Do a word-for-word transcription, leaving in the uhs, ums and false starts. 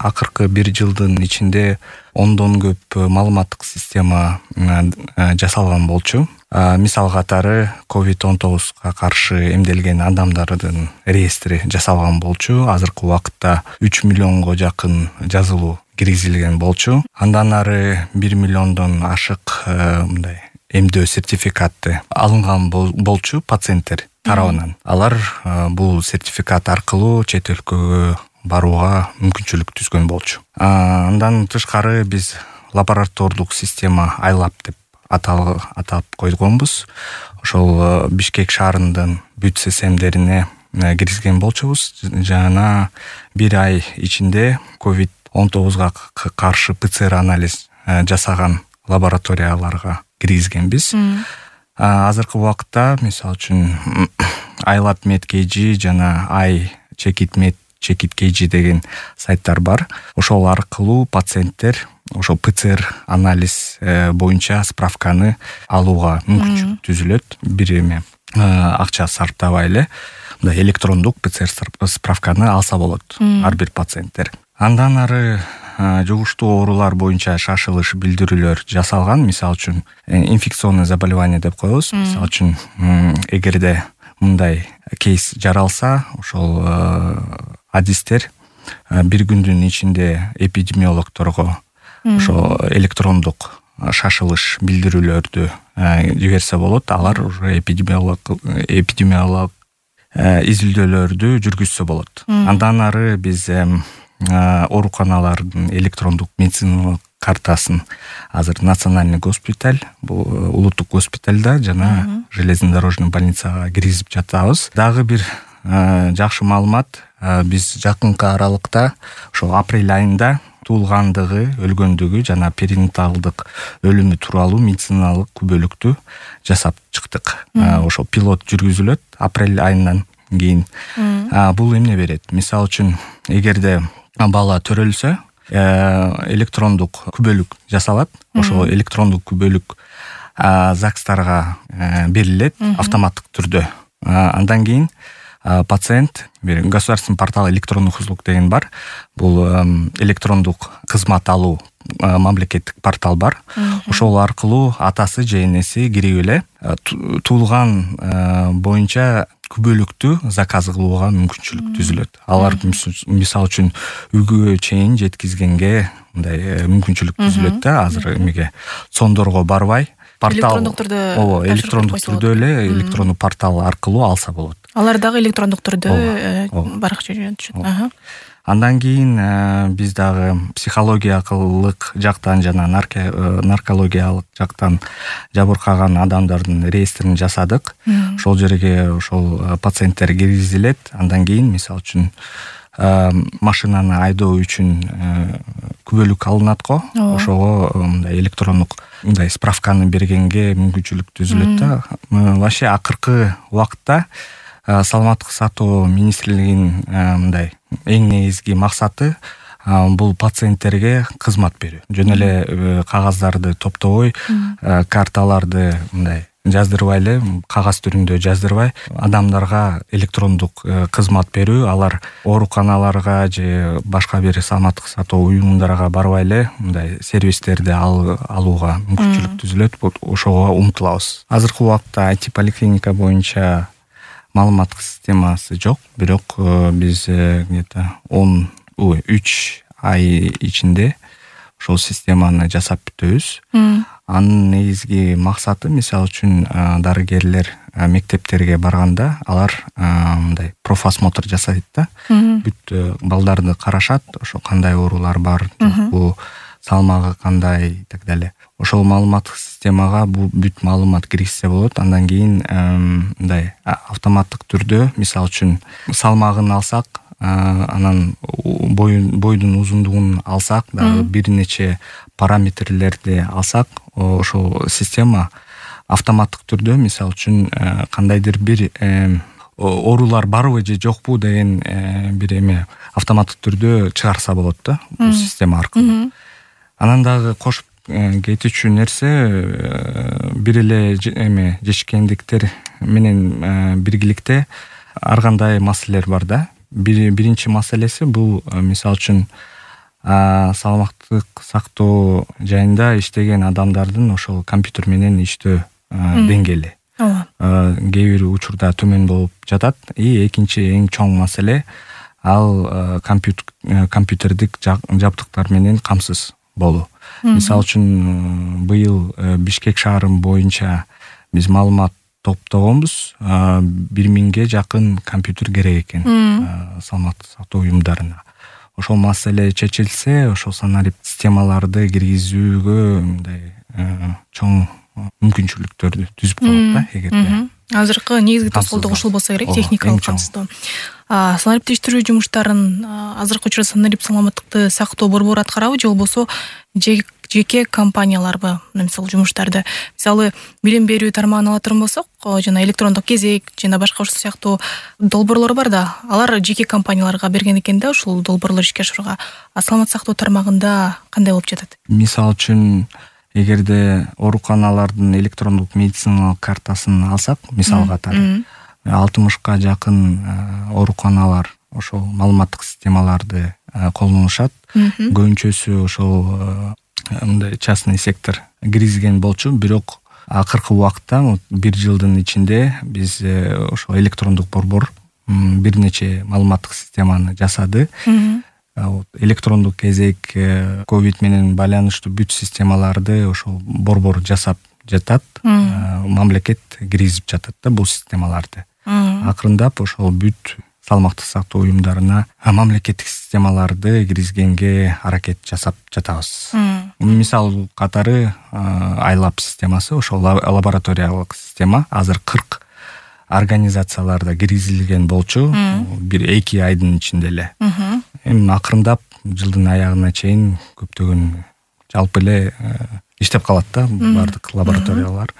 акыркы бир жылдын ичинде ондон көп маалыматтык система жасалган болчу. Мисал катары ковид он тогузга каршы эмделген адамдардын реестри жасалган болчу. Азыркы убакытта үч миллионго жакын жазылуу киргизилген болчу. Андан ары бир миллиондон ашык мындай эмдөө сертификаты алынган болчу пациенттер тарабынан. Алар бул сертификат аркылуу чет өлкөгө барууга мүмкүнчүлүк түзгөн болчу. Андан тышкары биз лаборатордук система айлап деп атап койгонбуз. Ошол Бишкек шаарынын бүт системдерине киргизген болчубуз. Жана бир ай ичинде ковид он тогузга каршы ПЦР анализ жасаган лабораторияларга киргизгенбиз. Азыркы убакытта мисалы үчүн айлап медкейжи жана ай чекит мед чекит кейжи деген сайттар бар. Ошол аркылуу пациенттер ошол ПЦР анализ боюнча справканы алууга мүмкүнчүлүк түзүлөт. Бир эме акча сарптабай эле мындай электрондук ПЦР справканы алса болот ар бир пациенттер. Андан ары жугуштуу оорулар боюнча шашылыш билдирүүлөр жасалган. Мисалы үчүн инфекционный заболевание деп коебуз. Мисалы үчүн эгерде мындай кейс жаралса, ошол адистер бир күндүн ичинде эпидемиологторго ошо электрондук шашылыш билдирүүлөрдү жиберсе болот. Алар уже эпидемиолог эпидемиолог изилдөөлөрдү жүргүзсө болот. Андан ары биз ооруканалардын электрондук медициналык картасын азыр Национальный госпиталь, бул улуттук госпитальда жана железнодорожный больницага киргизип жатабыз. Дагы бир жакшы маалымат, биз жакынкы аралыкта ошо апрель айында туулгандыгы, өлгөндүгү жана перинаталдык өлүмү тууралуу медициналык күбөлүктү жасап чыктык. Ошо пилот жүргүзүлөт апрель айынан кийин. Бул эмне берет? Мисалы үчүн эгерде бала төрөлсө, электрондук күбөлүк жасалат. Ошол электрондук күбөлүк ЗАГСтарга берилет автоматтык түрдө. Андан кийин пациент бир государственный портал электронных услуг деген бар. Бул электрондук кызмат алуу мамлекеттик портал бар. Ошол аркылуу атасы же энеси кирип эле туулган боюнча күбөлүктү заказ кылууга мүмкүнчүлүк түзүлөт. Алар мисалы үчүн үйгө чейин жеткизгенге мындай мүмкүнчүлүк түзүлөт да. Азыр эмеге сондорго барбай, портал электрондук түрдө ооба электрондук түрдө эле электрондук портал аркылуу алса болот. Алар дагы электрондук түрдө баракча жүрүшөт. Андан кийин биз дагы психологиялык жактан жана наркологиялык жактан жабыркаган адамдардын реестрин жасадык. Ошол жерге ошол пациенттер киргизилет. Андан кийин мисалы үчүн машинаны айдоо үчүн күбөлүк алынат го. Ошого мындай электрондук мындай справканы бергенге мүмкүнчүлүк түзүлөт да. Вообще акыркы убакытта саламаттык сактоо министрлигинин мындай эң негизги максаты бул пациенттерге кызмат берүү. Жөн эле кагаздарды топтобой, карталарды мындай жаздырбай эле, кагаз түрүндө жаздырбай, адамдарга электрондук кызмат берүү. Алар ооруканаларга же башка бир саламаттык сактоо уюмдарга барбай эле мындай сервистерди алууга мүмкүнчүлүк түзүлөт. Ошого умтулабыз. Азыркы убакытта ай ти поликлиника боюнча маалыматтык системасы жок, бирок биз где-то он үч ай ичинде ошол системаны жасап бүтөбүз. Анын негизги максаты мисалы үчүн дарыгерлер мектептерге барганда алар мындай профосмотр жасайт да. Бүт балдарды карашат, ошо кандай оорулар бар, бул салмагы кандай и так далее. Ошол маалыматтык системага бул бүт маалымат киргизсе болот. Андан кийин мындай автоматтык түрдө мисалы үчүн салмагын алсак, анан бойдун узундугун алсак, дагы бир нече параметрлерди алсак, ошол система автоматтык түрдө мисалы үчүн кандайдыр бир оорулар барбы же жокпу деген бир эме автоматтык түрдө чыгарса болот да, бул система аркылуу. Анан дагы кошуп кетүүчү нерсе, бир эле эме жешкендиктер менен биргиликте ар кандай маселелер бар да. Биринчи маселеси бул мисалы үчүн саламаттык сактоо жайында иштеген адамдардын ошол компьютер менен иштөө деңгээли кээ бир учурда төмөн болуп жатат. И экинчи эң чоң маселе ал компьютердик жабдыктар менен камсыз болуу. Мисалы үчүн быйыл Бишкек шаары боюнча биз маалымат топтогонбуз. бир миңге жакын компьютер керек экен саламаттык сактоо уюмдарына. Ошол маселе чечилсе, ошол санарип системаларды киргизүүгө мындай чоң мүмкүнчүлүктөрдү түзүп коет да эгерде. Азыркы негизги тоскоолдук ушул болсо керек, техникалык камсыздоо. Санариптештирүү жумуштарын азыркы учурда санарип саламаттыкты сактоо борбору аткарабы же болбосо жеке компанияларбы мисалы жумуштарды? Мисалы билим берүү тармагын ала турган болсок, жана электрондук кезек жана башка ушул сыяктуу долбоорлор бар да, алар жеке компанияларга берген экен да ушул долбоорлор ишке ашырууга. А саламаттык сактоо тармагында кандай болуп жатат? Мисалы үчүн эгерде ооруканалардын электрондук медициналык картасын алсак, мисал катары алтымышка жакын ооруканалар ошол маалыматтык системаларды колдонушат. Көбүнчөсү ошол мындай частный сектор киргизген болчу, бирок акыркы убакта бир жылдын ичинде биз ошол электрондук борбор бир нече маалыматтык системаны жасады. Электрондук кезек, ковид менен байланыштуу бүт системаларды ошол борбор жасап жатат. Мамлекет киргизип жатат да бул системаларды. Акырындап ошол бүт саламаттык сактоо уюмдарына мамлекеттик системаларды киргизгенге аракет жасап жатабыз. Мисал катары айлап системасы, ошол лабораториялык система азыр кырк организацияларда киргизилген болчу, бир эки айдын ичинде эле. Эми акырындап жылдын аягына чейин көптөгөн жалпы эле иштеп калат да бардык лабораториялар.